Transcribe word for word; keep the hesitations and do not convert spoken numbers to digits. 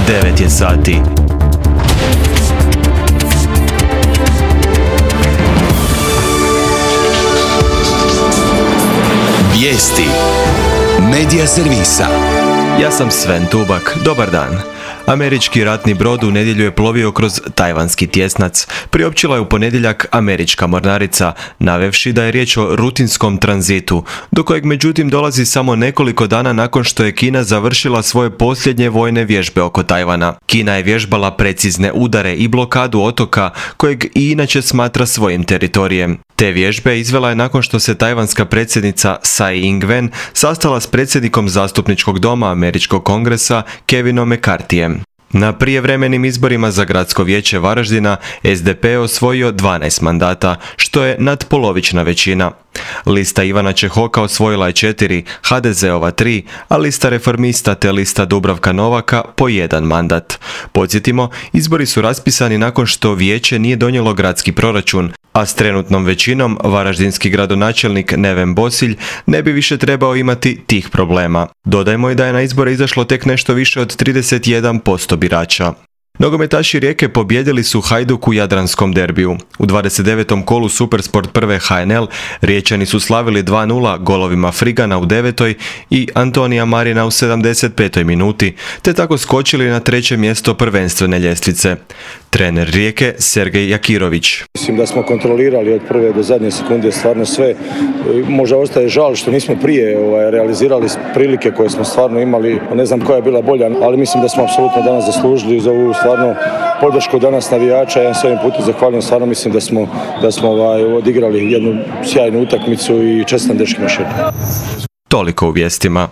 devet je sati. Vijesti Medija servisa. Ja sam Sven Tubak, dobar dan. Američki ratni brod u nedjelju je plovio kroz tajvanski tjesnac. Priopćila je u ponedjeljak američka mornarica, navevši da je riječ o rutinskom tranzitu, do kojeg međutim dolazi samo nekoliko dana nakon što je Kina završila svoje posljednje vojne vježbe oko Tajvana. Kina je vježbala precizne udare i blokadu otoka, kojeg i inače smatra svojim teritorijem. Te vježbe izvela je nakon što se tajvanska predsjednica Tsai Ing-wen sastala s predsjednikom zastupničkog doma američkog kongresa Kevinom McCarthyjem. Na prijevremenim izborima za gradsko vijeće Varaždina S D P je osvojio dvanaest mandata, što je nadpolovična većina. Lista Ivana Čehoka osvojila je četiri, H D Z-ova tri, a lista Reformista te lista Dubravka Novaka po jedan mandat. Podsjetimo, izbori su raspisani nakon što vijeće nije donijelo gradski proračun, a s trenutnom većinom varaždinski gradonačelnik Neven Bosilj ne bi više trebao imati tih problema. Dodajmo i da je na izbore izašlo tek nešto više od trideset jedan posto birača. Nogometaši Rijeke pobijedili su Hajduk u jadranskom derbiju. U dvadeset devetom kolu Supersport prve H N L Riječani su slavili dva nula golovima Frigana u devetoj i Antonija Marina u sedamdeset petoj minuti, te tako skočili na treće mjesto prvenstvene ljestvice. Trener Rijeke Sergej Jakirović. Mislim da smo kontrolirali od prve do zadnje sekunde stvarno sve. Možda ostaje žal što nismo prije ovaj, realizirali prilike koje smo stvarno imali. Ne znam koja je bila bolja, ali mislim da smo apsolutno danas zaslužili za ovu stvarno podršku danas navijača. Ja se ovim putem zahvaljujem, stvarno mislim da smo, da smo ovaj, odigrali jednu sjajnu utakmicu i čestitam dečkima še. Toliko u vijestima.